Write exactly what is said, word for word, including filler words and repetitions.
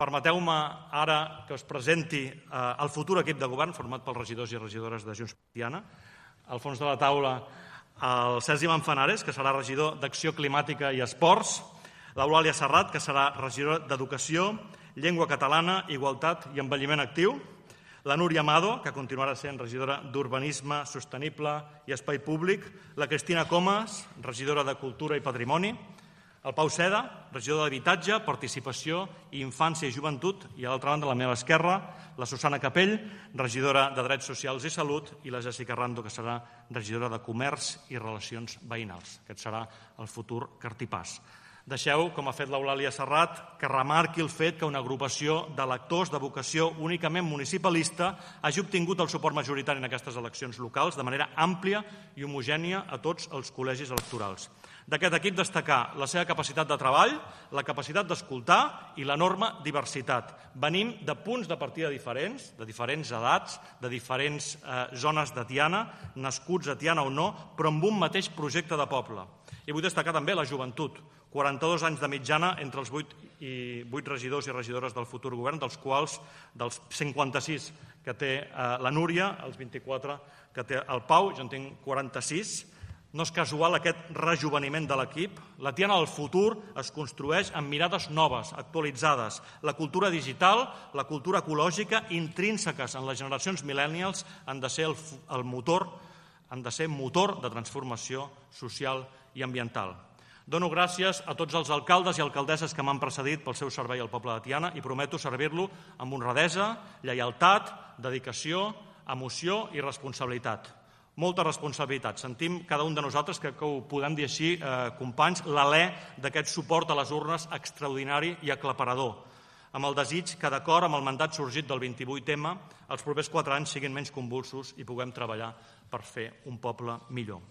Permeteu-me ara que us presenti el futur equip de govern format pels regidors i regidores de Junts per Tiana. Al fons de la taula, el Sergi Manzanares, que serà regidor d'Acció Climàtica i Esports, l'Eulàlia Serrat, que serà regidora d'Educació, Llengua Catalana, Igualtat i Envelliment Actiu, la Núria Amado, que continuarà sent regidora d'Urbanisme Sostenible i Espai Públic, la Cristina Comas, regidora de Cultura i Patrimoni, el Pau Seda, regidor d'Habitatge, Participació i Infància i Joventut, i a l'altra banda, a la meva esquerra, la Susana Capell, regidora de Drets Socials i Salut, i la Jessica Rando, que serà regidora de Comerç i Relacions Veïnals. Aquest serà el futur cartipàs. Deixeu, com ha fet l'Eulàlia Serrat, que remarqui el fet que una agrupació d'electors de vocació únicament municipalista hagi obtingut el suport majoritari en aquestes eleccions locals de manera àmplia i homogènia a tots els col·legis electorals. D'aquest equip destacar la seva capacitat de treball, la capacitat d'escoltar i l'enorme diversitat. Venim de punts de partida diferents, de diferents edats, de diferents eh, zones de Tiana, nascuts a Tiana o no, però amb un mateix projecte de poble. I vull destacar també la joventut, quaranta-dos anys de mitjana entre els vuit i vuit regidors i regidores del futur govern, dels quals dels cinquanta-sis que té eh, la Núria, els vint-i-quatre que té el Pau, jo en tinc quaranta-sis. No és casual aquest rejoveniment de l'equip. La Tiana del futur es construeix amb mirades noves, actualitzades. La cultura digital, la cultura ecològica, intrínseques en les generacions millennials, han de ser el, el motor, han de ser motor de transformació social i ambiental. Dono gràcies a tots els alcaldes i alcaldesses que m'han precedit pel seu servei al poble de Tiana i prometo servir-lo amb honradesa, lleialtat, dedicació, emoció i responsabilitat. Molta responsabilitat. Sentim cada un de nosaltres, que, que ho podem dir així, eh, companys, l'alè d'aquest suport a les urnes extraordinari i aclaparador, amb el desig que, d'acord amb el mandat sorgit del vint-i-vuit ema, els propers quatre anys siguin menys convulsos i puguem treballar per fer un poble millor.